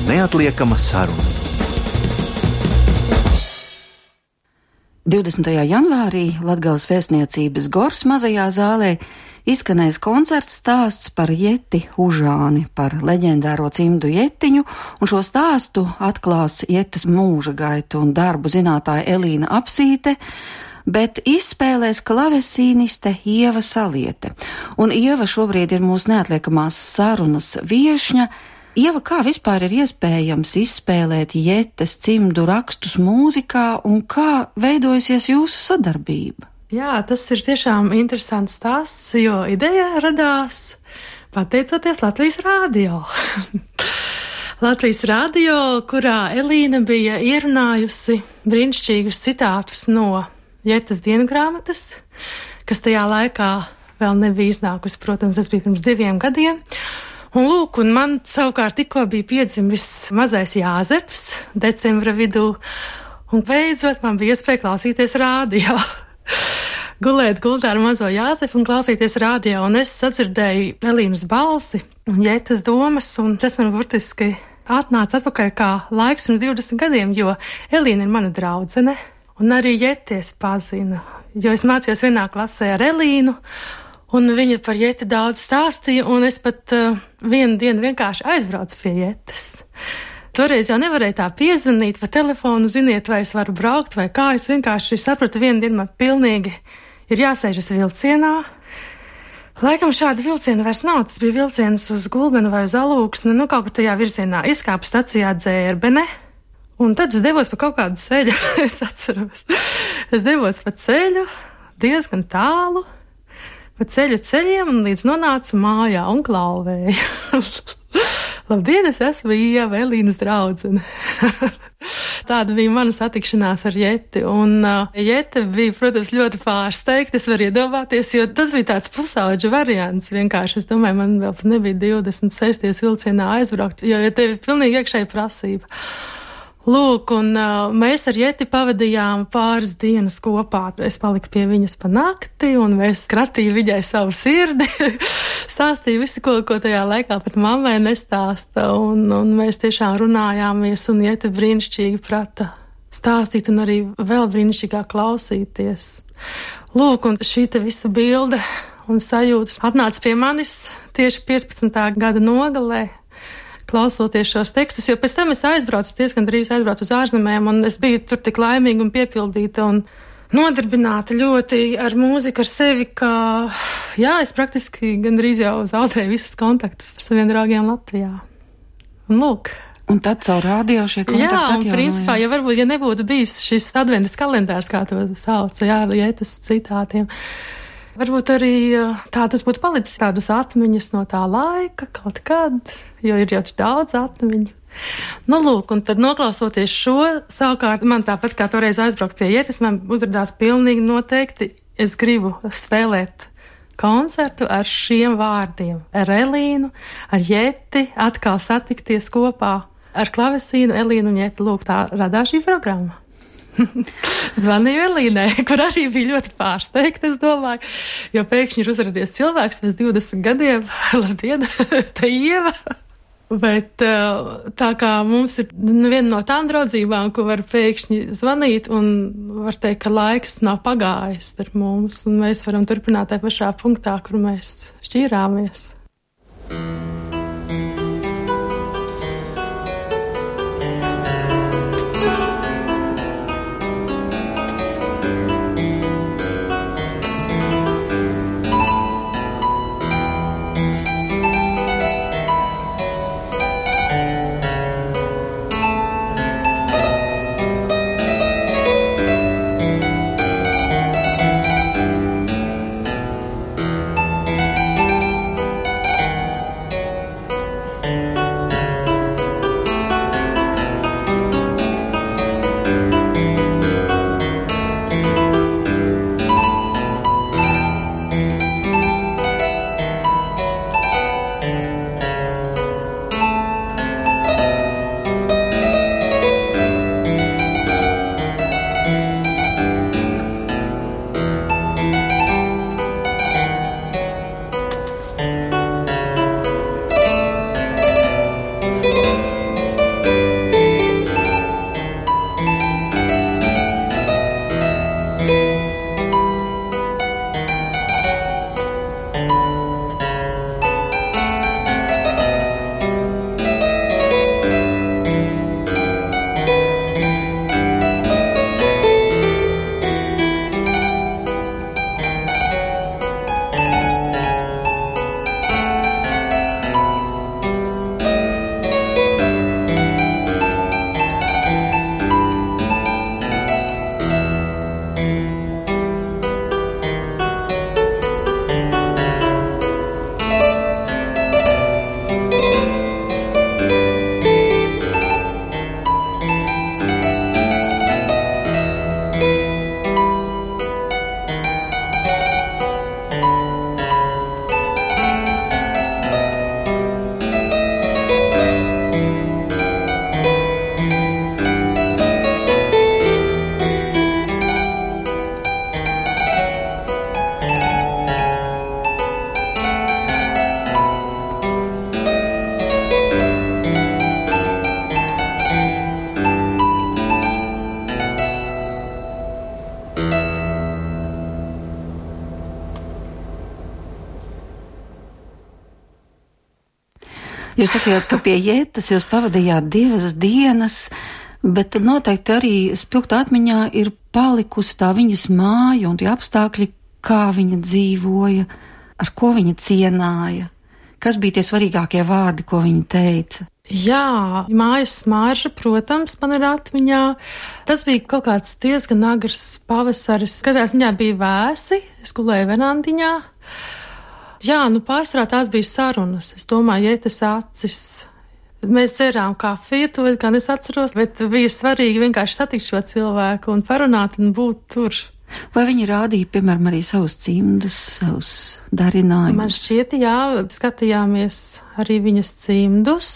neatliekama saruna. 20. janvārī Latgales vēstniecības Gors mazajā zālē izskanēs koncerts stāsts par Jeti Užāni, par leģendāro cimdu jetiņu, un šo stāstu atklās Jetes mūža gaitu un darbu zinātāja Elīna Apsīte, bet izspēlēs klavesīniste Ieva Saliete. Un Ieva šobrīd ir mūsu neatliekamās sarunas viešņa. Ieva, kā vispār ir iespējams izspēlēt Jetes cimdu rakstus mūzikā un kā veidojusies jūsu sadarbība? Jā, tas ir tiešām interesants stāsts, jo ideja radās pateicoties Latvijas Rādio. Latvijas Rādio, kurā Elīna bija ierunājusi brīnišķīgus citātus no Jetes diengrāmatas, kas tajā laikā vēl nebija iznākusi, protams, tas bija pirms 2 gadiem. Un lūk, un man savukārt tikko bija piedzimis mazais Jāzeps decembra vidū, un beidzot man bija iespēja klausīties rādio. Gulēt gultā ar mazo Jāzepu un klausīties rādio, un es sadzirdēju Elīnas balsi un Jetes domas, un tas man burtiski atnāca atpakaļ kā laiks pirms 20 gadiem, jo Elīna ir mana draudzene, un arī Jeties pazinu, jo es mācījos vienā klasē ar Elīnu, un viņa par Jeti daudz stāstīja, un es pat vienu dienu vienkārši aizbraucu pie Jetes. Toreiz jau nevarēju tā piezvanīt pa telefonu, ziniet, vai es varu braukt vai kā. Es vienkārši sapratu, vienu dienu man pilnīgi ir jāsēžas vilcienā. Laikam šāda vilciena vairs nav, tas bija vilciens uz Gulbenu vai uz Alūksni, kaut kur tajā virzienā izkāpu stacijā Dzērbene, un tad es devos pa kaut kādu ceļu, es atceros. Es devos pa ceļu diezgan tālu, pa ceļiem un līdz nonācu mājā un klauvēju. Labdien, es esmu Ieva, Elīnas draudzene. Tāda bija mana satikšanās ar Jeti, un Jete bija, protams, ļoti pārsteigta, es varu iedomāties, jo tas bija tāds pusauģa variants vienkārši. Es domāju, man vēl nebija 20 sēsties vilcienā aizbraukt, jo tev ir pilnīgi iekšēja prasība. Lūk, un mēs ar Jeti pavadījām pāris dienas kopā. Es paliku pie viņas pa nakti, un es kratīju viņai savu sirdi, stāstīju visu, ko tajā laikā pat mammai nestāsta, un mēs tiešām runājāmies, un Jete brīnišķīgi prata stāstīt, un arī vēl brīnišķīgāk klausīties. Lūk, un šī te visa bilde un sajūtas atnāca pie manis tieši 15. gada nogalē, klausoties šos tekstus, jo pēc tam es diezgan drīz aizbraucu uz ārzemēm, un es biju tur tik laimīga un piepildīta un nodarbināta ļoti ar mūziku, ar sevi, ka, es praktiski gandrīz jau zaudēju visus kontaktus ar saviem draugiem Latvijā. Un lūk. Un tad caur rādio šie kontakti atjaunojās. Jā, un principā, varbūt, ja nebūtu bijis šis adventas kalendārs, kā to sauca, Jetes citātiem, varbūt arī tas būtu palicis tādas atmiņas no tā laika kaut kad, jo ir jau daudz atmiņu. Lūk, un tad noklausoties šo, savukārt man tāpat kā toreiz aizbraukt pie Jetes, man uzradās pilnīgi noteikti, es gribu spēlēt koncertu ar šiem vārdiem, ar Elīnu, ar Jeti, atkal satikties kopā ar klavesīnu, Elīnu un Jeti. Lūk, tā radās šī programma. Zvanīju Elīnai, kur arī bija ļoti pārsteigta, es domāju, jo pēkšņi ir uzradies cilvēks pēc 20 gadiem. Labdien, te Ieva! Bet tā kā mums ir viena no tām draudzībām, ko var pēkšņi zvanīt un var teikt, ka laiks nav pagājis ar mums, un mēs varam turpināt tajā pašā punktā, kur mēs šķīrāmies. Jūs sacījāt, ka pie Jetas jūs pavadījāt 2 dienas, bet tad noteikti arī spilgtā atmiņā ir palikusi tā viņas māja un tie apstākļi, kā viņa dzīvoja, ar ko viņa cienāja. Kas bija tie svarīgākie vārdi, ko viņa teica? Jā, mājas smarža, protams, man ir atmiņā. Tas bija kaut kāds diezgan agrs pavasaris. Katrā ziņā bija vēsi, es gulēju verandiņā. Jā, pārsvarā tās bija sarunas. Es domāju, Jetes acis. Mēs dzērām kafiju, to gan es atceros, bet bija svarīgi vienkārši satikt šo cilvēku un parunāt un būt tur. Vai viņi rādīja, piemēram, arī savus cimdus, savus darinājumus? Man šķiet, jā, skatījāmies arī viņas cimdus,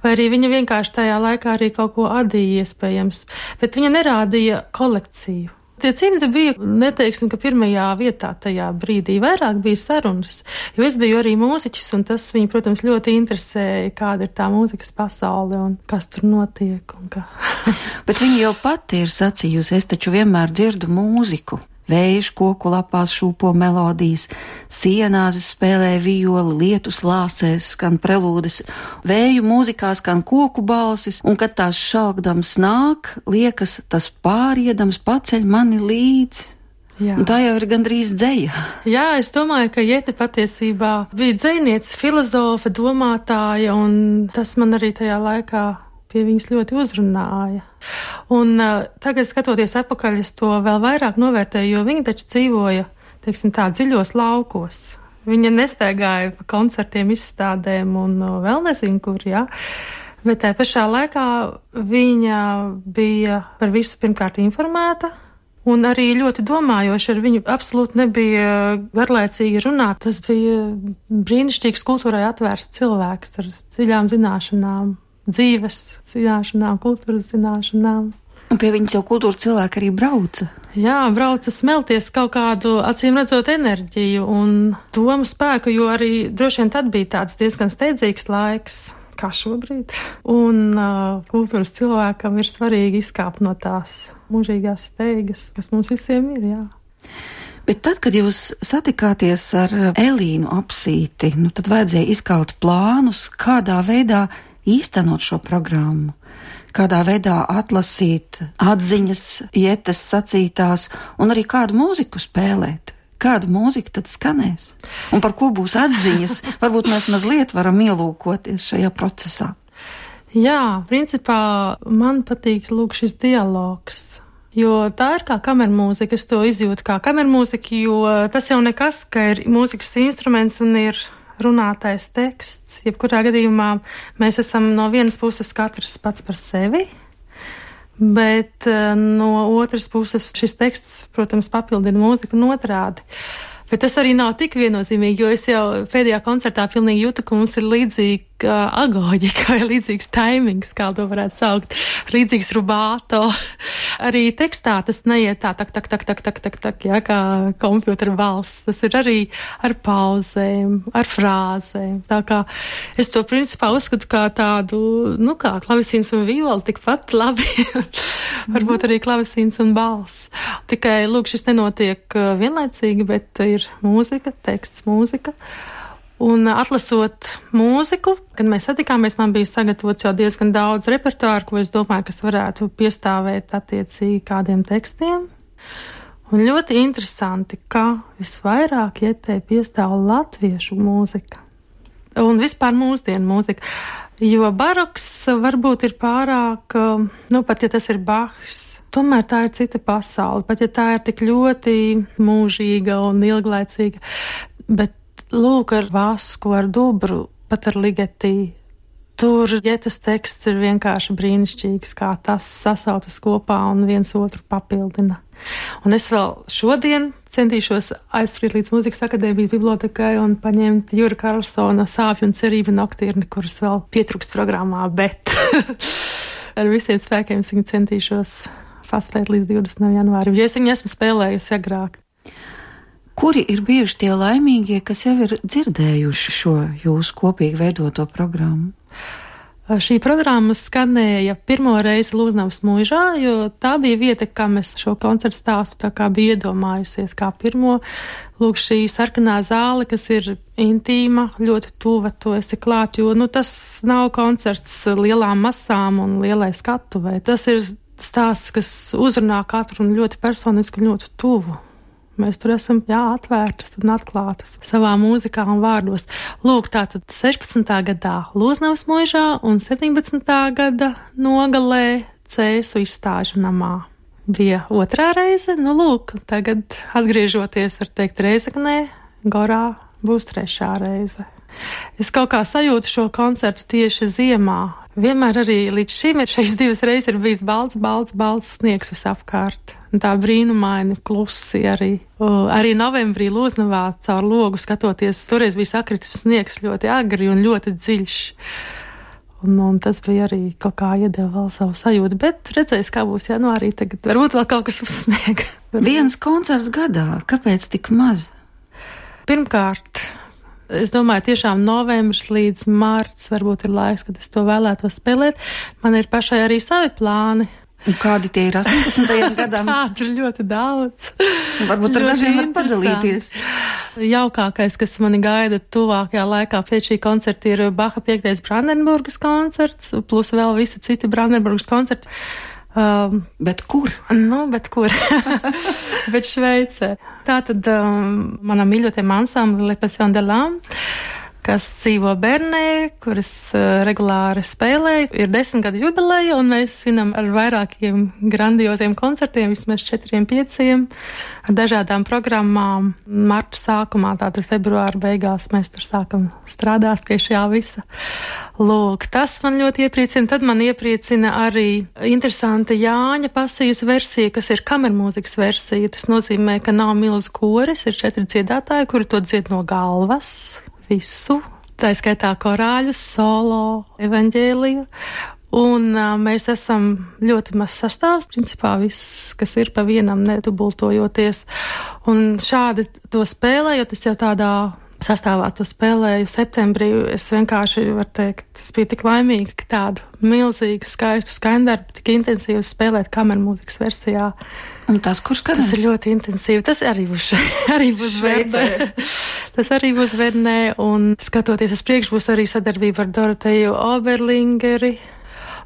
vai arī viņa vienkārši tajā laikā arī kaut ko adīja iespējams, bet viņa nerādīja kolekciju. Tie cimdi bija, neteiksim, ka pirmajā vietā tajā brīdī vairāk bija sarunas, jo es biju arī mūziķis, un tas viņu, protams, ļoti interesēja, kāda ir tā mūzikas pasaule un kas tur notiek un kā. Bet viņa jau pati ir sacījusi, es taču vienmēr dzirdu mūziku. Vējš koku lapās šūpo melodijas, sienās spēlē violi, lietus lāsēs skan prelūdes, vēju mūzikā skan koku balsis, un kad tās šaukdams nāk, liekas, tas pāriedams paceļ mani līdzi. Jā. Un tā jau ir gandrīz dzeja. Jā, es domāju, ka Jete patiesībā bija dzejniece, filozofe, domātāja, un tas man arī tajā laikā pie viņas ļoti uzrunāja. Un tagad, skatoties atpakaļ, es to vēl vairāk novērtēju, jo viņa taču dzīvoja, teiksim tā, dziļos laukos. Viņa nestaigāja pa koncertiem, izstādēm un vēl nezinu kur, jā. Bet tā pašā laikā viņa bija par visu pirmkārt informēta un arī ļoti domājoša. Ar viņu absolūti nebija garlaicīgi runāt. Tas bija brīnišķīgs kultūrai atvērsts cilvēks ar dziļām zināšanām. Dzīves zināšanām, kultūras zināšanām. Un pie viņas jau kultūras cilvēki arī brauca. Jā, brauca smelties kaut kādu, acīm redzot, enerģiju un domu spēku, jo arī droši vien tad bija tāds diezgan steidzīgs laiks, kā šobrīd. Un kultūras cilvēkam ir svarīgi izkāpt no tās mūžīgās steigas, kas mums visiem ir, jā. Bet tad, kad jūs satikāties ar Elīnu Apsīti, tad vajadzēja izkaut plānus, kādā veidā īstenot šo programmu, kādā veidā atlasīt atziņas, Jetes sacītās un arī kādu mūziku spēlēt. Kādu mūziku tad skanēs? Un par ko būs atziņas? Varbūt mēs mazliet varam ielūkoties šajā procesā. Jā, principā man patīk šis dialogs, jo tā ir kā kamermūzika. Es to izjūtu kā kamermūzika, jo tas jau nekas, ka ir mūzikas instruments un ir runātais teksts. Jebkurā gadījumā mēs esam no vienas puses katrs pats par sevi, bet no otras puses šis teksts, protams, papildina mūziku un otrādi. Bet tas arī nav tik viennozīmīgi, jo es jau pēdējā koncertā pilnīgi jūtu, ka mums ir līdzīga agoģika vai līdzīgs taimings, kā to varētu saukt, līdzīgs rubāto. Arī tekstā tas neiet tā, tak, jā, kā kompjutera balss. Tas ir arī ar pauzēm, ar frāzēm. Tā kā es to principā uzskatu kā tādu, kā klavesīns un viola, tikpat labi. Varbūt arī klavesīns un balss. Tikai, šis nenotiek vienlaicīgi, bet ir mūzika, teksts, mūzika. Un atlasot mūziku, kad mēs satikāmies, man bija sagatavots jau diezgan daudz repertuāru, ko es domāju, kas varētu piestāvēt attiecīgi kādiem tekstiem. Un ļoti interesanti, ka visvairāk Jetei piestāv latviešu mūzika. Un vispār mūsdienu mūzika. Jo baroks varbūt ir pārāk, pat ja tas ir Bachs, tomēr tā ir cita pasaule, pat ja tā ir tik ļoti mūžīga un ilglaicīga. Bet ar Vasku, ar Dubru, pat ar Ligeti, tur Jetes teksts ir vienkārši brīnišķīgs, kā tas sasautas kopā un viens otru papildina. Un es vēl šodien centīšos aizskriet līdz Mūzikas akadēmijas bibliotekai un paņemt Jura Karlsona Sāpju un cerību noktirni, kuras vēl pietrūkst programmā, bet ar visiem spēkiem es viņu centīšos paspēt līdz 20. janvārim, jo es viņu esmu spēlējusi agrāk. Kuri ir bijuši tie laimīgie, kas jau ir dzirdējuši šo jūsu kopīgi veidoto programmu? Šī programma skanēja pirmo reizi Lūznavas mūžā, jo tā bija vieta, kā mēs šo koncertu stāstu tā kā bija iedomājusies kā pirmo. Lūk, šī sarkanā zāle, kas ir intīma, ļoti tuva, tu esi klāt, jo, tas nav koncerts lielām masām un lielai skatuvei. Tas ir stāsts, kas uzrunā katru un ļoti personiski un ļoti tuvu. Mēs tur esam, atvērtas un atklātas savā mūzikā un vārdos. Lūk, tātad 16. gadā Lūznavas mūžā un 17. gada nogalē Cēsu izstāžu namā. Bija otrā reize, lūk, tagad atgriežoties, var teikt, Reizeknē, Gorā būs trešā reize. Es kaut kā sajūtu šo koncertu tieši ziemā. Vienmēr arī līdz šim šīs divas reizes ir bijis balts sniegs visapkārt. Tā brīnumaini klusi arī. Arī novembrī Lūznavā caur logu skatoties, toreiz bija sakritis sniegs ļoti agri un ļoti dziļš. Un tas bija arī kaut kā iedeva vēl savu sajūtu, bet redzēs, kā būs janvārī tagad. Varbūt vēl kaut kas uzsnieg. Viens koncerts gadā, kāpēc tik maz? Pirmkārt, es domāju, tiešām novembris līdz marts varbūt ir laiks, kad es to vēlētos spēlēt. Man ir pašai arī savi plāni. Un kādi tie ir 18. gadam? Tādu ir ļoti daudz. Varbūt ar dažiem var padalīties. Jaukākais, kas mani gaida tuvākajā laikā pēc šī koncerta, ir Baha 5. Brandenburgas koncerts, plus vēl visi citi Brandenburgas koncerti. Bet kur? Bet kur? Bet Šveicē. Tātad manam mīļotajam ansamblim Le Passion de l'Âme, kas dzīvo Bernē, kuras regulāri spēlēju. Ir 10 gadu jubileja, un mēs svinam ar vairākiem grandioziem koncertiem, vismaz 4-5, ar dažādām programmām. Marta sākumā, tātad februāra beigās, mēs tur sākam strādāt pie šā visa. Lūk, tas man ļoti iepriecina. Tad man iepriecina arī interesanta Jāņa pasijas versija, kas ir kamermūzikas versija. Tas nozīmē, ka nav milzu koris, ir 4 dziedātāji, kuri to dzied no galvas. Visu, tā skaitā korāļus, solo, evaņģēliju, un mēs esam ļoti maz sastāvs, principā viss, kas ir pa vienam nedubultojoties, un šādi to spēlējot, es jau tādā sastāvā to spēlēju septembrī, es vienkārši, var teikt, es biju tik laimīga, ka tādu milzīgu, skaistu skaņdarbu, tik intensīvu spēlēt kamermūzikas versijā. Un tas, kurš skanēs? Tas ir ļoti intensīvi. Tas arī būs Vernē. Tas arī būs Vernē, un skatoties uz priekšu, būs arī sadarbība ar Doroteju Oberlingeri.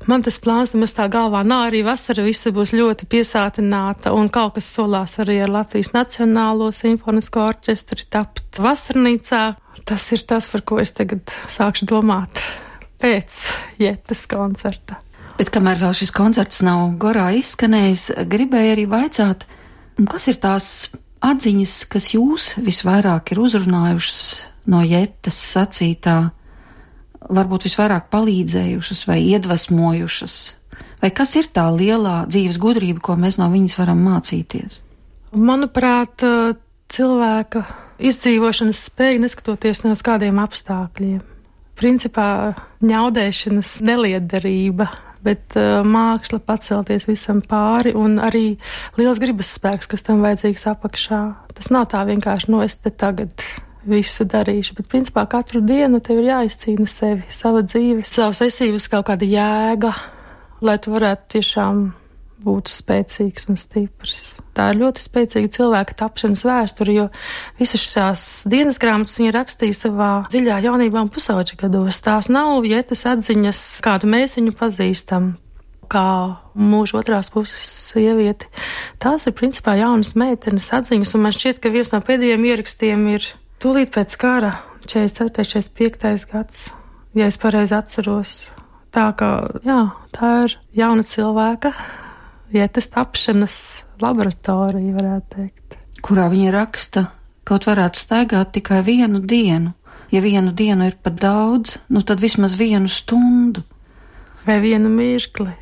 Man tas plāns nemaz tā galvā nav, arī vasara visa būs ļoti piesātināta, un kaut kas solās arī ar Latvijas Nacionālo simfonisko orķestri tapt vasarnīcā. Tas ir tas, par ko es tagad sākšu domāt pēc Jetas koncerta. Bet kamēr vēl šis koncerts nav Gorā izskanējis, gribēju arī vaicāt, kas ir tās atziņas, kas jūs visvairāk ir uzrunājušas no Jetas sacītā, varbūt visvairāk palīdzējušas vai iedvesmojušas? Vai kas ir tā lielā dzīves gudrība, ko mēs no viņas varam mācīties? Manuprāt, cilvēka izdzīvošanas spēja neskatoties no kādiem apstākļiem. Principā ņaudēšanas nelietderība, bet māksla pacelties visam pāri un arī liels gribas spēks, kas tam vajadzīgs apakšā. Tas nav tā vienkārši, es te tagad visu darīšu, bet principā katru dienu tev ir jāizcīna sevi, sava dzīve, savas esības kaut kāda jēga, lai tu varētu tiešām būt spēcīgs un stiprs. Tā ir ļoti spēcīga cilvēka tapšanas vēsture, jo visas šās dienas grāmatas viņa rakstīja savā dziļā jaunībā un pusauģa gados. Tās nav Jetas atziņas, kādu mēs viņu pazīstam, kā mūža otrās puses sievieti. Tās ir principā jaunas meitenes atziņas, un man šķiet, ka viens no pēdējiem ierakstiem ir tūlīt pēc kara, 44. 45. gads, ja es pareizi atceros. Tā kā, tā ir jauna cilvēka Jetas tapšanas laboratorija, varētu teikt. Kurā viņa raksta, kaut varētu staigāt tikai vienu dienu. Ja vienu dienu ir pat daudz, tad vismaz vienu stundu. Vai vienu mirkli.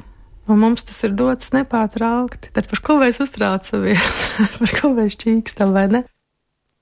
Un mums tas ir dots nepārtraukti. Tad par ko mēs uztraucamies? Par ko mēs čīkstam, vai ne?